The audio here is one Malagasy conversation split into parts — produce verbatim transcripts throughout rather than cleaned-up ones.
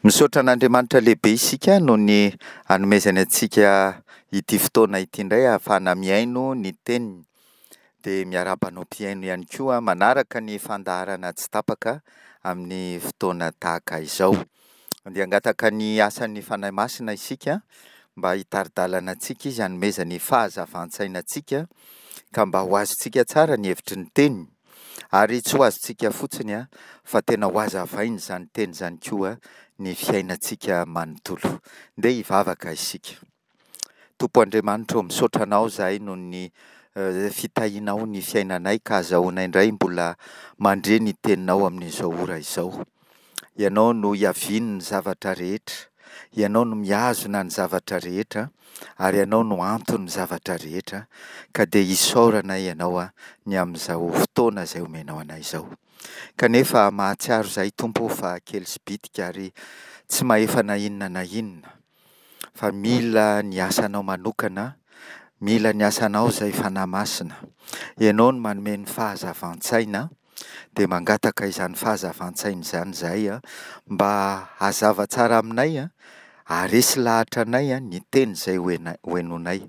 Misaotra an'Andriamanitra lehibe isika noho ny anomezany antsika ity fotoana ity indray ahafahana mihaino ny teniny. Dia miarahaba anao mpihaino ihany koa manaraka ny fandaharana tsy tapaka amin'ny fotoana tahaka izao. Andeha hangataka ny asan'ny Fanahy Masina isika mba hitari-dalana antsika Izy hanomezany fahazavan-tsaina antsika ka mba ho azontsika tsara ny hevitry ny teniny ary tsy ho azontsika fotsiny fa tena ho hazavainy izany teny izany koa ny fiainantsika manontolo. Ndeha hivavaka isika. Tompo Andriamanitra ô, misaotra Anao izahay noho ny fitahianao ny fiainanay ka azahoanay indray mbola mandre ny teninao amin'izao ora izao. Ianao no iavian'ny zavatra rehetra, Ianao no mihazona ny zavatra rehetra, ary Ianao no anton'ny zavatra rehetra, ka dia isaoranay Ianao ny amin'izao fotoana izay omenao anay izao. Kanefa mahatsiaro izahay Tompo ô fa kely sy bitika ary tsy mahefa na inona na inona, fa mila ny asanao manokana, mila ny asanao izay Fanahy Masina. Ianao no manome ny fahazavan-tsaina, dia mangataka izany fahazavan-tsaina izany izahay mba hazava tsara aminay, haharesy lahatra anay ny teny izay hohenoinay,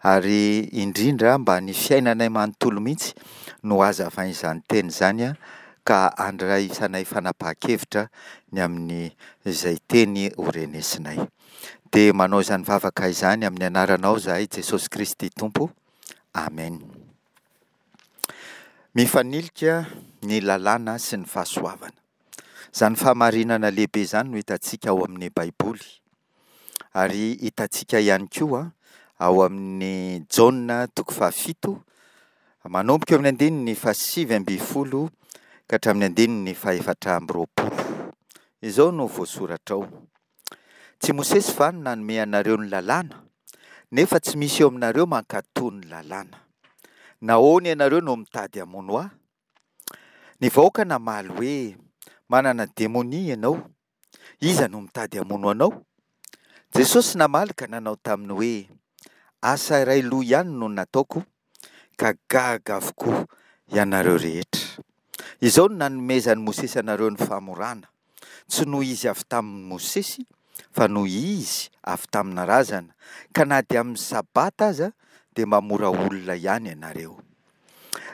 ary indrindra mba ny fiainanay manontolo mihitsy no hazavain'izany teny izany ka handraisanay fanapahan-kevitra ny amin'izay teny horenesinay. Dia manao izany vavaka izany amin'ny anaranao izahay Jesosy Kristy Tompo. Amen. Mifanilika ny lalàna sy ny fahasoavana. Izany fahamarinana lehibe izany no hitantsika ao amin'ny Baiboly. Ary hitantsika ihany koa ao amin'ny Jaona toko fahafito, manomboka eo amin'ny andininy fahasivy ambin'ny folo ka hatramin'ny andininy fahefatra amby roapolo. Izao no voasoratra ao: Tsy Mosesy va no nanome anareo ny lalàna, nefa tsy misy eo aminareo mankatò ny lalàna. Nahoana ianareo no mitady hamono ahy? Ny vahoaka namaly hoe: Manana demonia ianao, iza no mitady hamono anao? Jesosy namaly ka nanao taminy hoe: Asa iray loha ihany no nataoko, ka gaga avokoa ianareo rehetra. Izao no nanomezan'i Mosesy anareo ny famorana, tsy noho izy avy tamin'i Mosesy, fa noho izy avy tamina razana, ka na dia amin'ny Sabata aza dia mamora olona ihany ianareo.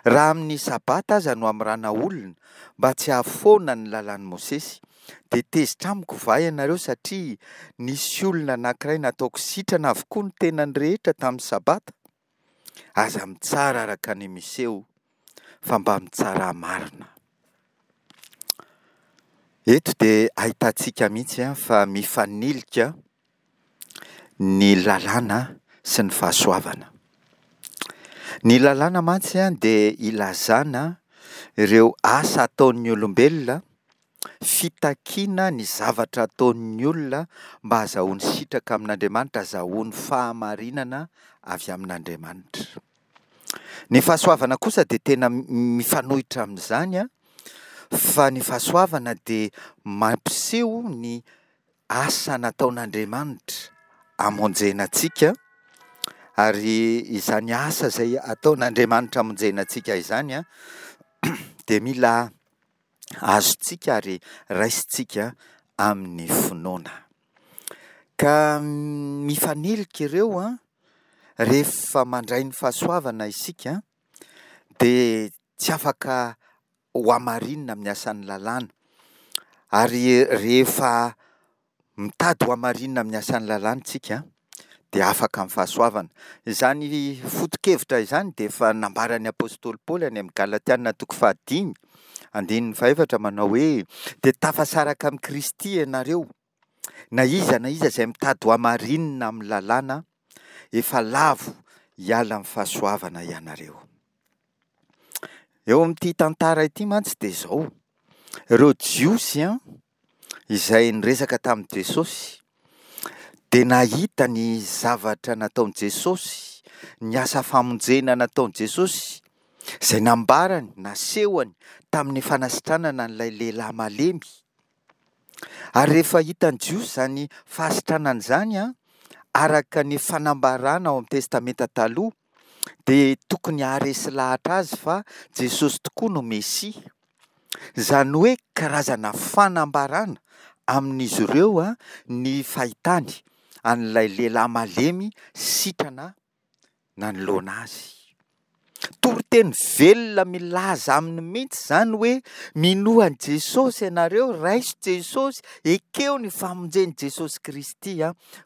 Raha amin'ny Sabata aza no amorana olona mba tsy hahafoana ny lalàn'i Mosesy, dia tezitra amiko va ianareo satria nisy olona anankiray nataoko sitrana avokoa ny tenany rehetra tamin'ny Sabata? Aza mitsara araka ny miseho, fa mba mitsarà marina. Eto dia ahitantsika mihitsy fa mifanilika ny lalàna sy ny fahasoavana. Ny lalàna mantsy dia ilazana ireo asa ataon'ny olombelona, fitakiana ny zavatra ataon'ny olona mba hahazahoany sitraka amin'Andriamanitra, hahazahoany fahamarinana avy amin'Andriamanitra. Ny fahasoavana kosa dia tena mifanohitra amin'izany, fa ny fahasoavana dia mampiseho ny asa nataon'Andriamanitra hamonjena antsika, ary izany asa izay ataon'Andriamanitra hamonjena antsika izany dia mila azontsika ary raisintsika amin'ny finoana. Ka mifanilika ireo an, rehefa mandray ny fahasoavana isika dia tsy afaka ho hamarinina amin'ny asan'ny lalàna, ary rehefa mitady ho hamarinina amin'ny asan'ny lalàna isika dia afaka amin'ny fahasoavana. Izany foto-kevitra izany dia efa nambaran'ny apostoly Paoly any amin'ny Galatiana toko fahadimy andininy fahefatra manao hoe: dia tafasaraka amin'i Kristy ianareo, na iza na iza izay mitady ho hamarinina amin'ny lalàna, efa lavo hiala amin'ny fahasoavana ianareo. Eo amin'ity tantara ity mantsy dia izao, ireo Jiosy an, izay niresaka tamin'i Jesosy dia nahita ny zavatra nataon'i Jesosy, ny asa famonjena nataon'i Jesosy, izay nambarany, nasehony tamin'ny fanasitranana an'ilay lehilahy malemy. Ary rehefa hitan'ny Jiosy izany fahasitranana izany an, araka ny fanambarana ao amin'ny Testamenta Taloha, dia tokony haharesy lahatra azy fa Jesosy tokoa no Mesia. Izany hoe karazana fanambarana amin'izy ireo ny fahitany an'ilay lehilahy malemy sitrana nanoloana azy. Toriteny velona milaza aminy mihitsy izany hoe minoa an'i Jesosy ianareo, raiso Jesosy, ekeo ny famonjen'i Jesosy Kristy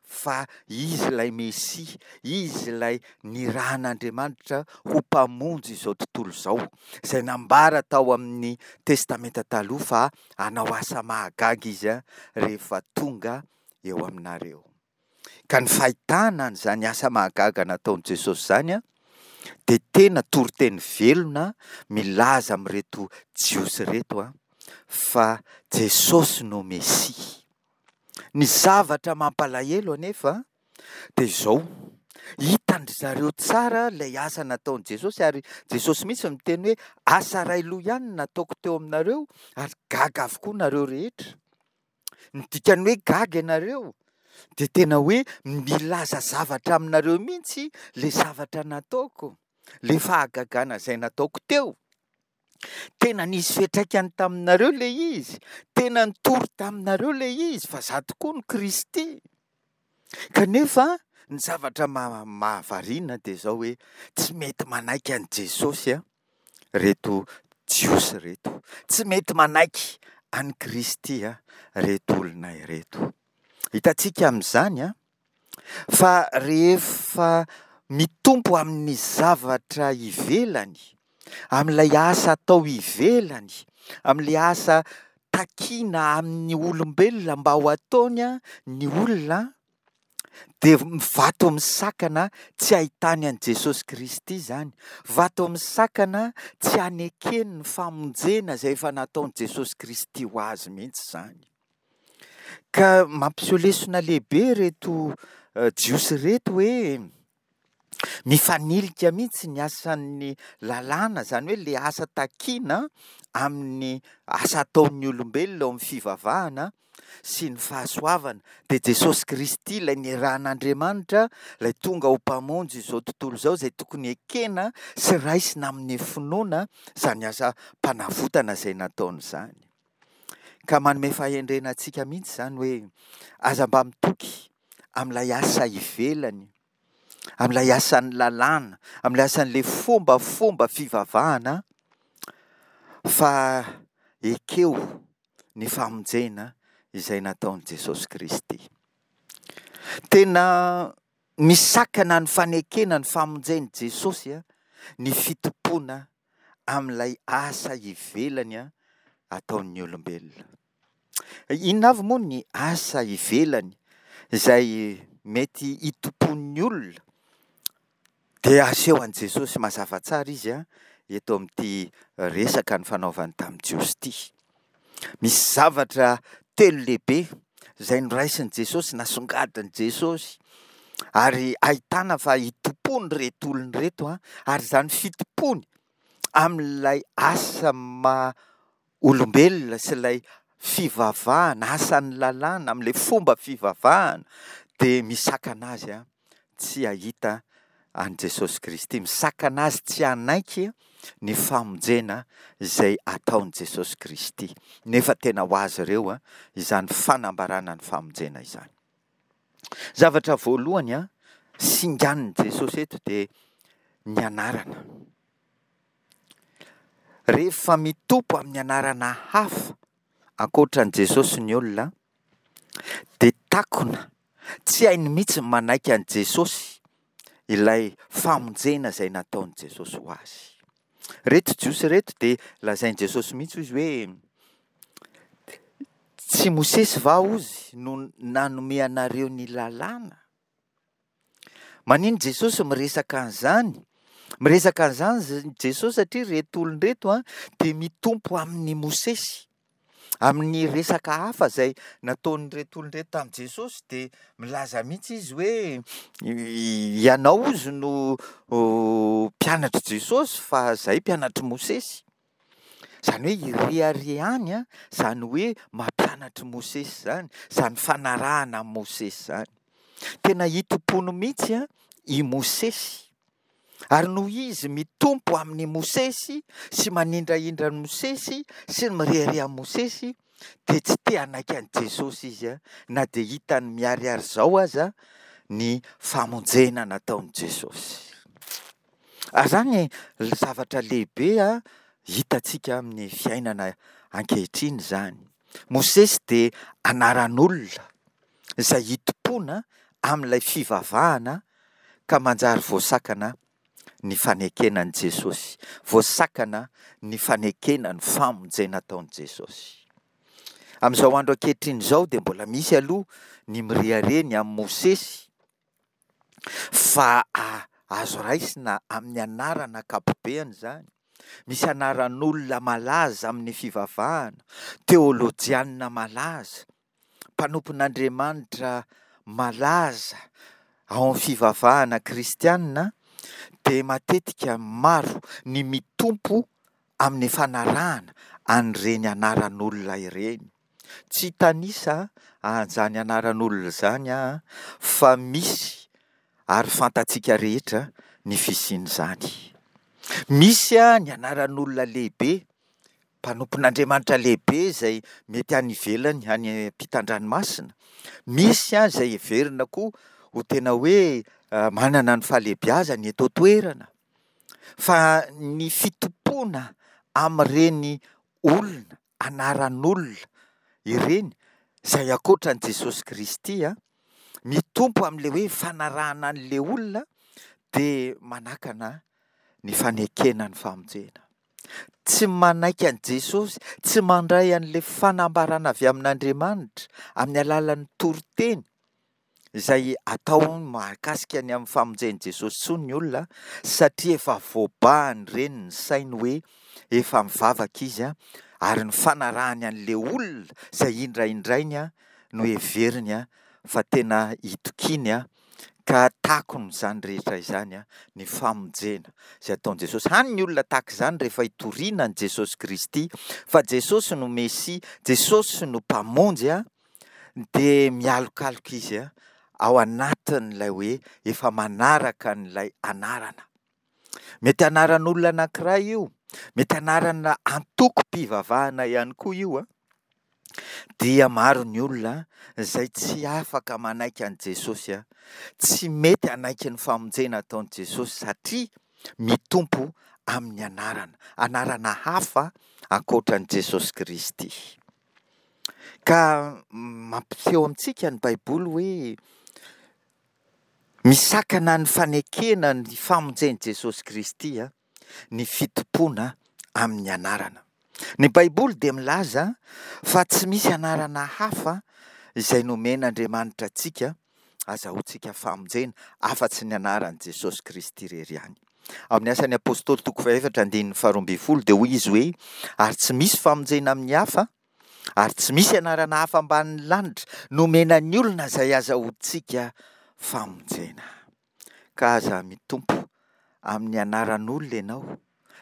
fa Izy ilay Mesia, Izy ilay nirahan'Andriamanitra ho mpamonjy izao tontolo izao, izay nambara tao amin'ny Testamenta Taloha fa hanao asa mahagaga Izy rehefa tonga eo aminareo. Ka ny fahitana an'izany asa mahagaga nataon'i Jesosy izany dia tena toriteny velona milaza amin'ireto Jiosy ireto fa Jesosy no Mesia. Ny zavatra mampalahelo anefa dia izao, hitan-dry zareo tsara ilay asa nataon'i Jesosy ary Jesosy mihitsy miteny hoe asa iray loha ihany no nataoko teo aminareo ary gaga avokoa nareo rehetra. Ny dikan'ny hoe gaga ianareo dia tena hoe milaza zavatra aminareo mihitsy ilay zavatra nataoko, ilay fahagagana izay nataoko teo. Tena nisy fiantraikany taminareo ilay izy, tena nitory taminareo ilay izy fa izaho tokoa no Kristy. Kanefa ny zavatra mahavariana dia izao hoe tsy mety manaiky an'i Jesosy ireto Jiosy ireto. Tsy mety manaiky an'i Kristy ireto olona ireto. Hitantsika amin'izany fa rehefa mitompo amin'ny zavatra ivelany, amin'ilay asa atao ivelany, amin'ilay asa takiana amin'ny olombelona mba ho ataony ny olona, dia vato misakana tsy ahitany an'i Jesosy Kristy izany. Vato misakana tsy hanekeny ny famonjena izay efa nataon'i Jesosy Kristy ho azy mihitsy izany. Ka mampiseho lesona lehibe ireto Jiosy ireto hoe mifanilika mihitsy ny asan'ny lalàna, izany hoe ilay asa takiana amin'ny asa ataon'ny olombelona ao amin'ny fivavahana sy ny fahasoavana. Dia Jesosy Kristy ilay nirahan'Andriamanitra, ilay tonga ho mpamonjy izao tontolo izao, izay tokony ekena sy raisina amin'ny finoana izany asam-panavotana izay nataony izany. Ka manome fahendrena antsika mihitsy izany hoe aza mba mitoky amin'ilay asa ivelany, amin'ilay asan'ny lalàna, amin'ilay asan'ilay fombafomba fivavahana, fa ekeo ny famonjena izay nataon'i Jesosy Kristy. Tena misakana ny fanekena ny famonjen'i Jesosy ny fitompoana amin'ilay asa ivelany ataon'ny olombelona. Inona avy moa ny asa ivelany izay mety hitompoan'ny olona? Dia aseho an'i Jesosy mazava tsara izy eto amin'ity resaka nifanaovany tamin'ny Jiosy ity. Misy zavatra telo lehibe izay noraisin'i Jesosy, nasongadin'i Jesosy, ary ahitana fa hitompoany ireto olona ireto, ary izany fitompoany amin'ilay asa maha olombelona sy ilay fivavahana, asan'ny lalàna, amin'ilay fomba fivavahana, dia misakana azy tsy hahita an'i Jesosy Kristy, misakana azy tsy hanaiky ny famonjena izay ataon'i Jesosy Kristy. Nefa tena ho azy ireo izany fanambarana ny famonjena izany. Zavatra voalohany singanin'i Jesosy eto dia ny anarana. Rehefa mitompo amin'ny anarana hafa ankoatra an'i Jesosy ny olona, dia takona, tsy hainy mihitsy ny manaiky an'i Jesosy ilay famonjena izay nataon'i Jesosy ho azy. Ireto Jiosy ireto dia lazain'i Jesosy mihitsy izy hoe tsy Mosesy va hozy no nanome anareo ny lalàna? Manino Jesosy miresaka an'izany? Miresaka an'izany Jesosy satria ireto olona ireto dia mitompo amin'i Mosesy. Amin'ny resaka hafa izay nataon'ireto olona ireto tamin'i Jesosy dia milaza mihitsy izy hoe ianao hozy no mpianatr'i Jesosy fa izahay mpianatr'i Mosesy. Izany hoe ireharehany izany hoe mampianatr'i Mosesy izany, izany fanarahana amin'i Mosesy izany. Tena hitompoany mihitsy i Mosesy. Ary noho izy mitompo amin'i Mosesy sy manindrahindra an'i Mosesy sy ny mirehareha amin'i Mosesy dia tsy te hanaiky an'i Jesosy izy na dia hitany miharihary izao aza ny famonjena nataon'i Jesosy. Ary izany zavatra lehibe hitantsika amin'ny fiainana ankehitriny izany. Mosesy dia anaran'olona izay hitompoana amin'ilay fivavahana ka manjary voasakana ny fanekena an'i Jesosy, voasakana ny fanekena ny famonjena ataon'i Jesosy. Amin'izao andro ankehitriny izao dia mbola misy aloha ny mirehareha ny amin'i Mosesy fa azo raisina amin'ny anarana ankapobeany izany. Misy anaran'olona malaza amin'ny fivavahana, teolojianina malaza, mpanompon'Andriamanitra malaza ao amin'ny fivavahana kristianina, dia matetika maro ny mitompo amin'ny fanarahana an'ireny anaran'olona ireny. Tsy hitanisa an'izany anaran'olona izany aho fa misy ary fantatsika rehetra ny fisian'izany. Misy ny anaran'olona lehibe, mpanompon'Andriamanitra lehibe izay mety any ivelany, any ampitan-dranomasina. Misy izay heverina koa ho tena hoe manana ny fahalehibiazany eto an-toerana. Fa ny fitompoana amin'ireny olona, anaran'olona ireny, izay ankoatra an'i Jesosy Kristy, mitompo amin'ilay hoe fanarahana an'ilay olona, dia manakana ny fanekena ny famonjena. Tsy manaiky an'i Jesosy, tsy mandray an'ilay fanambarana avy amin'Andriamanitra amin'ny alalan'ny toriteny izay atao mahakasika ny amin'ny famonjen'i Jesosy intsony ny olona, satria efa voabahan'ireny ny sainy hoe efa mivavaka izy, ary ny fanarahany an'ilay olona izay indraindrainy no heveriny fa tena itokiany, ka takony izany rehetra izany ny famonjena izay ataon'i Jesosy. Hany ny olona tahaka izany rehefa hitoriana an'i Jesosy Kristy, fa Jesosy no Mesia, Jesosy no Mpamonjy, dia mialokaloka izy ao anatin'ilay hoe efa manaraka an'ilay anarana. Mety anaran'olona anankiray io, mety anarana antokom-pivavahana ihany koa io, dia maro ny olona izay tsy afaka manaiky an'i Jesosy, tsy mety hanaiky ny famonjena ataon'i Jesosy satria mitompo amin'ny anarana, anarana hafa ankoatra an'i Jesosy Kristy. Ka mampiseho amintsika ny Baiboly hoe misakana ny fanekena ny famonjen'i Jesosy Kristy ny fitompoana amin'ny anarana. Ny Baiboly dia milaza fa tsy misy anarana hafa izay nomen'Andriamanitra antsika azahoantsika famonjena afa-tsy ny anaran'i Jesosy Kristy irery ihany. Amin'ny Asan'ny Apostoly toko fahefatra andininy faharoa ambin'ny folo dia hoy izy hoe ary tsy misy famonjena amin'ny hafa ary tsy misy anarana hafa ambanin'ny lanitra nomena ny olona izay azahoantsika famonjena. Ka aza mitompo amin'ny anaran'olona ianao,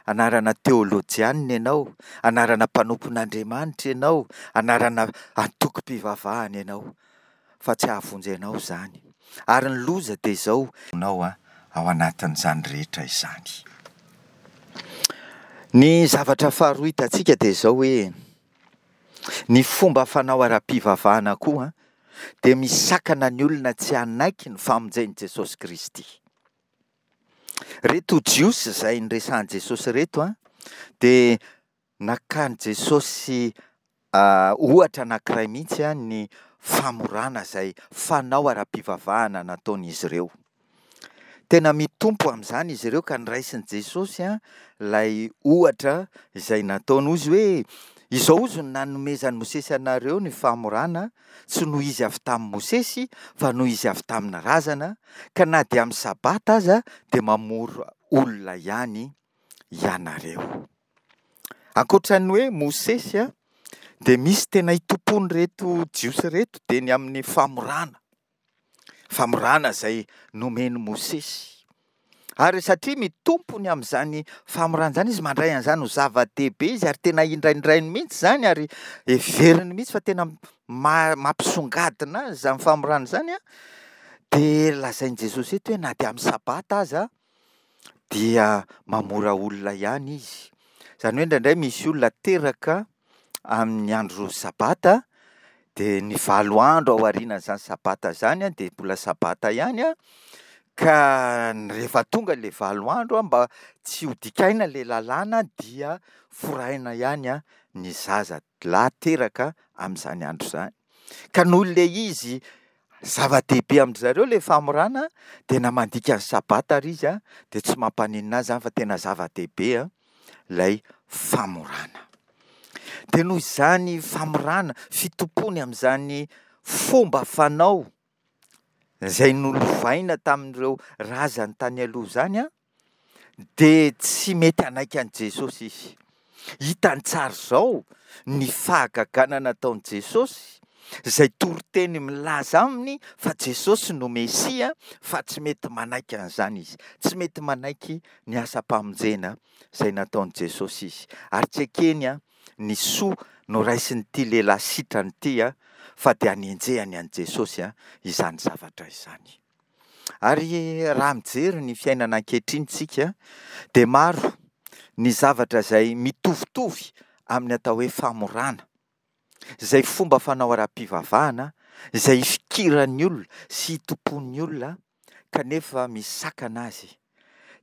anarana teolojianina ianao, anarana mpanompon'Andriamanitra ianao, anarana antokom-pivavahana ianao, fa tsy hahavonjy anao izany. Ary ny loza dia izao, anao ao anatin'izany rehetra izany. Ny zavatra faharoa hitantsika dia izao hoe ny fomba fanao ara-pivavahana koa dia misakana ny olona tsy hanaiky ny famonjen'i Jesosy Kristy. Reto Jiosy izay niresahan'i Jesosy ireto dia nakan'i Jesosy ohatra anankiray mihitsy ny famorana izay fanao ara-pivavahana nataon'izy ireo. Tena mitompo amin'izany izy ireo ka niraisin'i Jesosy ilay ohatra izay nataony. Hoy izy hoe izao hozy no nanomezan'i Mosesy anareo ny famorana, tsy noho izy avy tamin'i Mosesy fa noho izy avy tamin'ny razana, ka na dia amin'ny sabata aza dia mamora olona ihany ianareo. Ankoatra ny hoe Mosesy dia misy tena itompoan'ireto Jiosy ireto dia ny amin'ny famorana. Famorana izay nomen'i Mosesy. Ary satria mitompo ny amin'izany famorana izany izy, mandray an'izany ho zava-dehibe izy ary tena indraindrainy mihitsy izany ary heveriny mihitsy fa tena ma-, mampisongadina azy izany famorana izany, dia lazain'i Jesosy eto hoe na dia amin'ny sabata aza dia mamora olona ihany izy. Izany hoe indraindray misy olona teraka amin'ny andro sabata, dia ny valo andro ao aorianan'izany sabata izany dia mbola sabata ihany an, ka rehefa tonga ilay valo andro an, mba tsy ho dikaina ilay lalàna dia foraina ihany ny zaza lahy teraka amin'izany andro izany. Ka noho ilay izy zava-dehibe amin-dry zareo ilay famorana dia na mandika ny sabata ary izy an, dia tsy mampaninona azy izany fa tena zava-dehibe ilay famorana. Dia noho izany famorana, fitompoany amin'izany fomba fanao izay nolovaina tamin'ireo razany tany aloha izany an, dia tsy mety hanaiky an'i Jesosy izy. Hitany tsara izao ny fahagagana nataon'i Jesosy, izay toriteny milaza aminy fa Jesosy no Mesia, fa tsy mety manaiky an'izany izy. Tsy mety manaiky ny asam-pamonjena izay nataon'i Jesosy izy. Ary tsy ekeny ny soa noraisin'ity lehilahy sitrana ity, fa dia anenjehany an'i Jesosy izany zavatra izany. Ary raha mijery ny fiainana ankehitriny isika, dia maro ny zavatra izay mitovitovy amin'ny atao hoe famorana, izay fomba fanao ara-pivavahana, izay ifikiran'ny olona sy itompoan'ny olona, kanefa misakana azy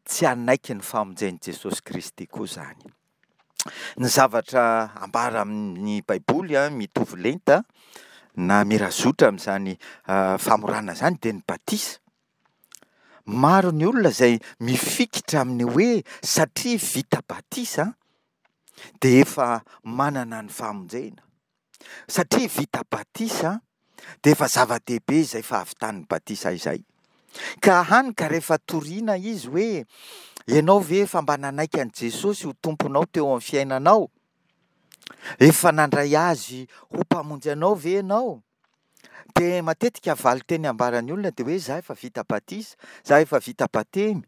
tsy hanaiky ny famonjen'i Jesosy Kristy koa izany. Ny zavatra ambara amin'ny Baiboly mitovy lenta na mirazotra amin'izany famorana izany dia ny batisa. Maro ny olona izay mifikitra amin'ny hoe satria vita batisa dia efa manana ny famonjena. Satria vita batisa dia efa zava-dehibe izay fahavitan'ny batisa izay. Ka hany ka rehefa toriana izy hoe ianao ve efa mba nanaiky an'i Jesosy ho tomponao teo amin'ny fiainanao? Efa nandray azy ho mpamonjy anao ve ianao? Dia matetika valin-teny ambaran'ny olona dia hoe za efa vita batisa, za efa vita batemy.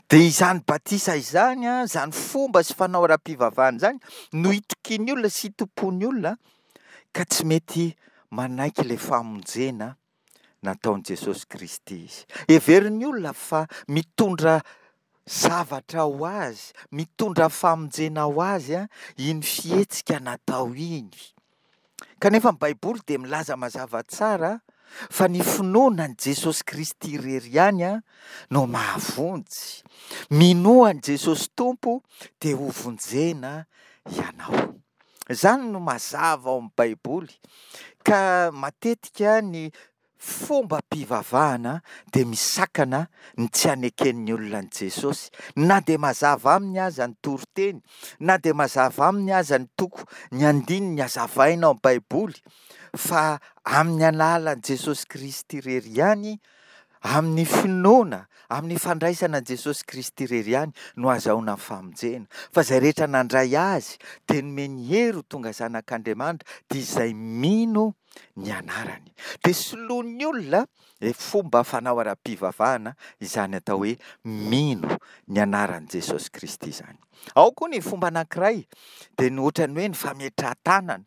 Dia izany batisa izany, izany fomba sy fanao ara-pivavahana izany no itokian'ny olona sy itompoan'ny olona ka tsy mety manaiky ilay famonjena nataon'i Jesosy Kristy izy. Heverin'ny olona fa mitondra zavatra ho azy, mitondra famonjena ho azy iny fihetsika natao iny. Kanefa ny Baiboly dia milaza mazava tsara fa ny finoana an'i Jesosy Kristy irery ihany no mahavonjy. Minoa an'i Jesosy Tompo dia ho vonjena ianao. Izany no mazava ao amin'ny Baiboly. Ka matetika ny fombam-pivavahana dia misakana ny tsy haneken'ny olona an'i Jesosy. Na dia mazava aminy aza ny toriteny, na dia mazava aminy aza ny toko, ny andininy hazavaina ao amin'ny Baiboly, fa amin'ny alalan'i Jesosy Kristy irery ihany, amin'ny finoana, amin'ny fandraisana an'i Jesosy Kristy irery ihany no ahazahoana ny famonjena. Fa izay rehetra nandray Azy dia nomeny hery ho tonga zanak'Andriamanitra, dia izay mino ny anarany. Dia soloin'ny olona ilay fomba fanao ara-pivavahana izany atao hoe mino ny anaran'i Jesosy Kristy izany. Ao koa ny fomba anankiray dia ny ohatran'ny hoe ny fametrahan-tanana.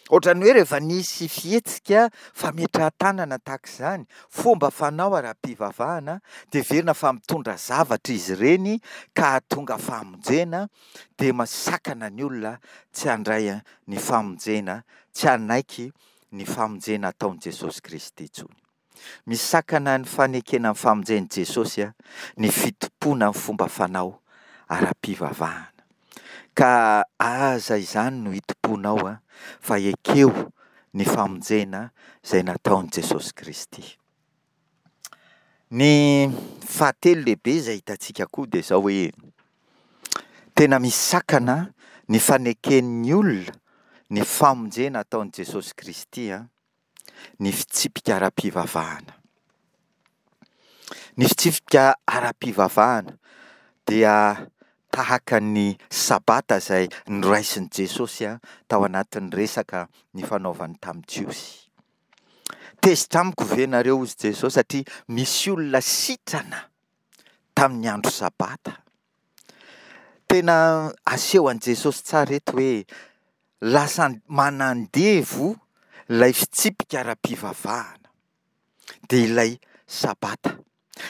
Ohatran'ny hoe rehefa nisy fihetsika fametrahan-tanana tahaka izany, fomba fanao ara-pivavahana, dia heverina fa mitondra zavatra izy ireny ka hahatonga famonjena, dia masakana ny olona tsy handray ny famonjena, tsy hanaiky ny famonjena ataon'i Jesosy Kristy intsony. Misakana ny fanekena ny famonjen'i Jesosy ny fitompoana ny fomba fanao ara-pivavahana. Ka aza izany no hitompoanao fa ekeo ny famonjena izay nataon'i Jesosy Kristy. Ny fahatelo lehibe izay hitantsika koa dia izao hoe tena misakana ny faneken'ny olona ny famonjena ataon'i Jesosy Kristy ny fitsipika ara-pivavahana. Ny fitsipika ara-pivavahana dia tahaka ny Sabata izay noraisin'i Jesosy tao anatin'ny resaka nifanaovany tamin'ny Jiosy. Tezitra amiko ve nareo, hoy Jesosy, satria misy olona sitrana tamin'ny andro Sabata? Tena asehon'i Jesosy tsara eto hoe lasa manandevo ilay fitsipika ara-pivavahana, dia ilay Sabata.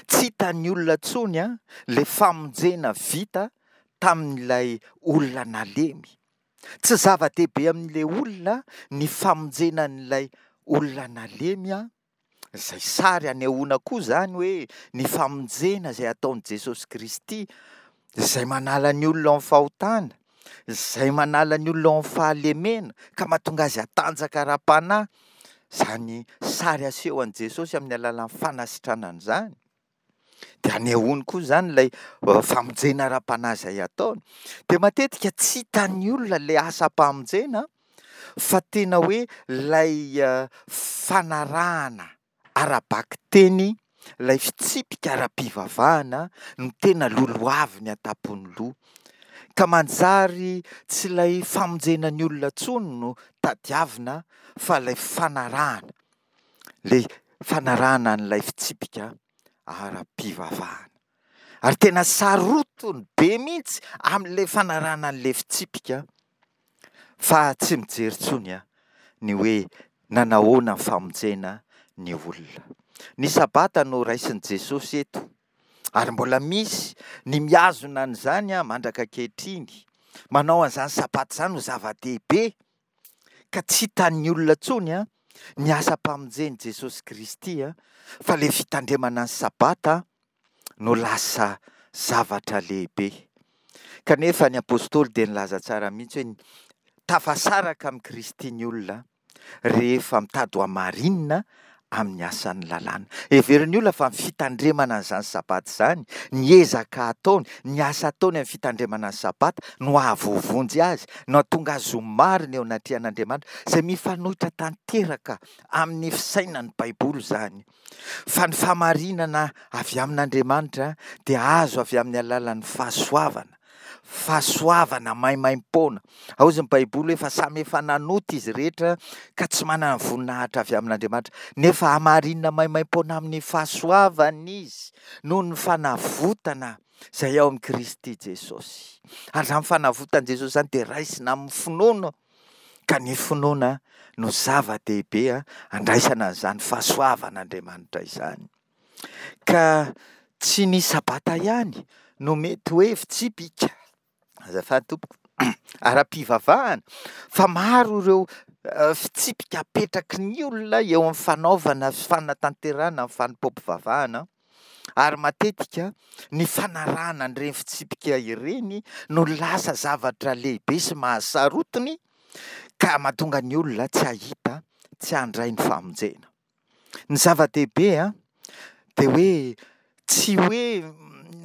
Tsy hitan'ny olona intsony ilay famonjena vita tamin'ilay olona nalemy. Tsy zava-dehibe amin'ilay olona ny famonjena an'ilay olona nalemy, izay sary anehoana koa izany hoe ny famonjena izay ataon'i Jesosy Kristy, izay manala ny olona ao amin'ny fahotana, izay manala ny olona ao amin'ny fahalemena, ka mahatonga azy hatanjaka ara-panahy. Izany sary aseho an'i Jesosy amin'ny alalan'ny fanasitranana izany, dia anehoany koa izany ilay famonjena ara-panahy izay ataony. Dia matetika tsy hitan'ny olona ilay asam-pamonjena fa tena hoe ilay fanarahana ara-bakiteny, ilay fitsipika ara-pivavahana no tena lolohaviny an-tampon'ny loha. Ka manjary tsy ilay famonjena ny olona intsony no tadiavina fa ilay fanarahana, ilay fanarahana an'ilay fitsipika ara-pivavahana. Ary tena sarotiny be mihitsy amin'ilay fanarahana an'ilay fitsipika fa tsy mijery intsony ny hoe nanahoana ny famonjena ny olona. Ny Sabata no raisin'i Jesosy eto, ary mbola misy ny mihazona an'izany mandraka ankehitriny, manao an'izany Sabata izany ho zava-dehibe, ka tsy hitan'ny olona intsony ny asam-pamonjen'i Jesosy Kristy, fa ilay fitandremana ny Sabata no lasa zavatra lehibe. Kanefa ny apostoly dia nilaza tsara mihitsy hoe tafasaraka amin'i Kristy ny olona rehefa mitady ho hamarinina amin'ny asan'ny lalàna. Heverin'ny olona fa ny fitandremana an'izany Sabata izany, ny ezaka ataony, ny asa ataony amin'ny fitandremana ny Sabata no hahavoavonjy azy, no hahatonga azy ho marina eo anatrehan'Andriamanitra, izay mifanohitra tanteraka amin'ny fisainan'ny Baiboly izany. Fa ny fahamarinana avy amin'Andriamanitra dia azo avy amin'ny alalan'ny fahasoavana, fahasoavana maimaimpoana. Hozy ny Baiboly hoe fa samy efa nanota izy rehetra ka tsy manana ny voninahitra avy amin'Andriamanitra, nefa hamarinina maimaimpoana amin'ny fahasoavana izy noho ny fanavotana izay ao amin'i Kristy Jesosy. Ary izany fanavotan'i Jesosy izany dia raisina amin'ny finoana, ka ny finoana no zava-dehibe andraisana an'izany fahasoavan'Andriamanitra izany. Ka tsy ny Sabata ihany no mety hoe fitsipika, azafady tompoko, ara-pivavahana, fa maro ireo fitsipika apetraky ny olona eo amin'ny fanaovana sy fanatanterahana ny fanompoam-pivavahana, ary matetika ny fanarahana an'ireny fitsipika ireny no lasa zavatra lehibe sy mahasarotiny ka mahatonga ny olona tsy hahita, tsy handray ny famonjena. Ny zava-dehibe an, dia hoe tsy hoe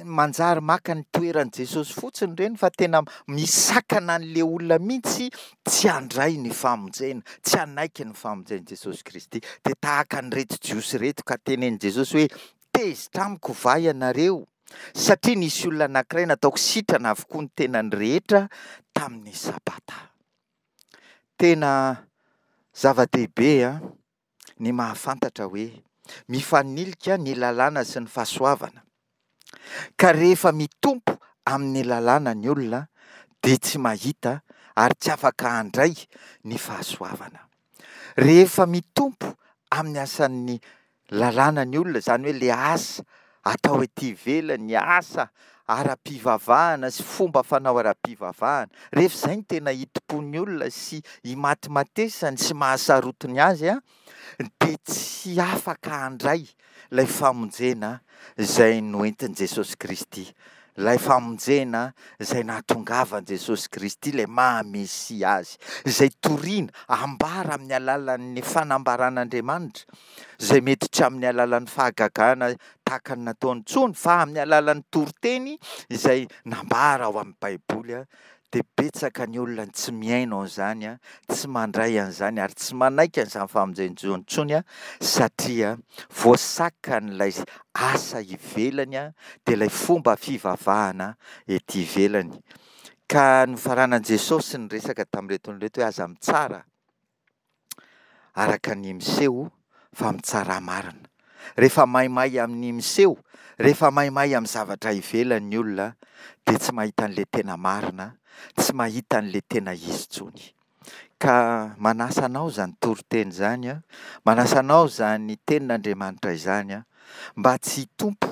manjary maka ny toeran'i Jesosy fotsiny ireny fa tena misakana an'ilay olona mihitsy tsy handray ny famonjena, tsy hanaiky ny famonjen'i Jesosy Kristy. Dia tahaka an'ireto Jiosy ireto ka tenenin'i Jesosy hoe tezitra amiko va ianareo satria nisy olona anankiray nataoko sitrana avokoa ny tenany rehetra tamin'ny Sabata. Tena zava-dehibe an, ny mahafantatra hoe mifanilika ny lalàna sy ny fahasoavana. Ka rehefa mitompo amin'ny lalàna ny olona dia tsy mahita ary tsy afaka handray ny fahasoavana. Rehefa mitompo amin'ny asan'ny lalàna ny olona, izany hoe le asa atao ety ivelany, ny asa ara-pivavahana sy fomba fanao ara-pivavahana, rehefa izay no tena itompoan'ny olona sy imatimatesany sy mahasarotiny azy, dia tsy afaka handray ilay famonjena izay noentin'i Jesosy Kristy, ilay famonjena izay nahatongavan'i Jesosy Kristy, ilay maha Mesia azy, izay torina, ambara amin'ny alalan'ny fanambaran'Andriamanitra, izay mety tsy amin'ny alalan'ny fahagagana tahaka ny nataony intsony, fa amin'ny alalan'ny toriteny izay nambara ao amin'ny Baiboly. Dia betsaka ny olona tsy mihaino an'izany, tsy mandray an'izany ary tsy manaiky an'izany famonjen-jo intsony, satria voasakan'ilay asa ivelany, dia ilay fomba fivavahana ety ivelany. Ka nofaranan'i Jesosy ny resaka tamin'ireto olona ireto hoe aza mitsara araka ny miseho fa mitsarà marina. Rehefa maimay amin'ny miseho, rehefa maimay amin'ny zavatra ivelany ny olona dia tsy mahita an'ilay tena marina, tsy mahita an'ilay tena izy intsony. Ka manasa anao izany toriteny izany, manasa anao izany tenin'Andriamanitra izany, mba tsy hitompo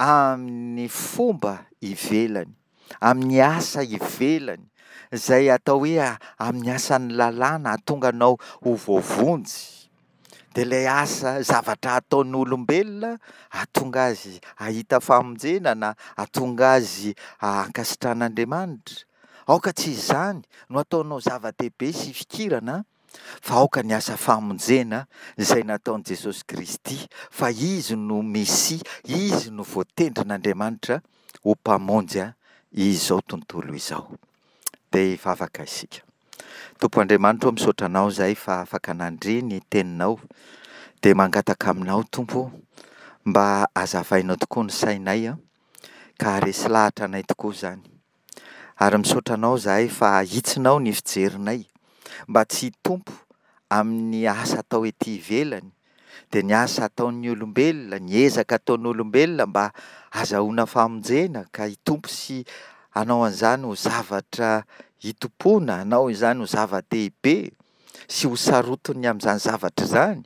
amin'ny fomba ivelany, amin'ny asa ivelany, izay atao hoe amin'ny asan'ny lalàna hahatonga anao ho voavonjy, dia ilay asa, zavatra ataon'olombelona hahatonga azy hahita famonjena na hahatonga azy hankasitrahan'Andriamanitra. Aoka tsy izany no ataonao zava-dehibe sy ifikirana fa aoka ny asa famonjena izay nataon'i Jesosy Kristy fa Izy no Mesia, Izy no voatendrin'Andriamanitra ho Mpamonjy izao tontolo izao. Dia hivavaka isika. Tompo Andriamanitra ô, misaotra Anao izahay fa afaka nandre ny Teninao, dia mangataka Aminao Tompo ô, mba hazavainao tokoa ny sainay an, ka haharesy lahatra anay tokoa izany. Ary misaotra Anao izahay fa ahitsinao ny fijerinay, mba tsy hitompo amin'ny asa atao ety ivelany, dia ny asa ataon'ny olombelona, ny ezaka ataon'olombelona mba hazahoana famonjena ka hitompo sy hanao an'izany ho zavatra itompoana, hanao izany ho zava-dehibe sy ho sarotiny amin'izany zavatra izany,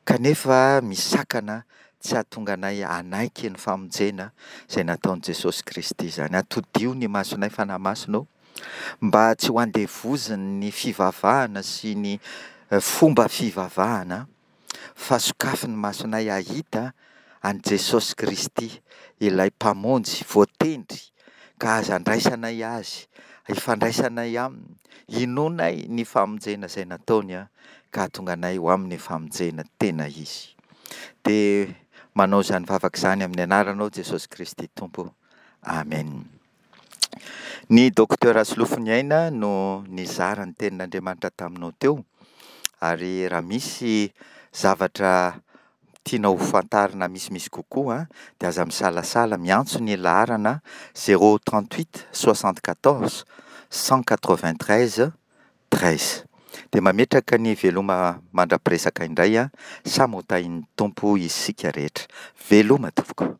kanefa misakana tsy hahatonga anay hanaiky ny famonjena izay nataon'i Jesosy Kristy izany. Atodiho ny masonay Fanahy Masina ô, mba tsy ho andevozin'ny fivavahana sy ny fomba fivavahana, fa sokafy ny masonay hahita an'i Jesosy Kristy, ilay Mpamonjy voatendry, ka aza andraisanay Azy, ifandraisanay Aminy, inoanay ny famonjena izay nataony ka hahatonga anay ho amin'ny famonjena tena izy. Dia manao izany vavaka izany amin'ny anaranao Jesosy Kristy Tompo. Amen. Ny Docteur Rasolofoniaina no nizara ny tenin'Andriamanitra taminao teo, ary raha misy zavatra tianao ho fantarina misimisy kokoa dia aza misalasala miantso ny laharana zéro trente huit soixante quatorze cent quatre vingt treize treize. Dia mametraka ny veloma mandra-piresaka indray, samy ho tahin'ny Tompo isika rehetra. Veloma tompoko.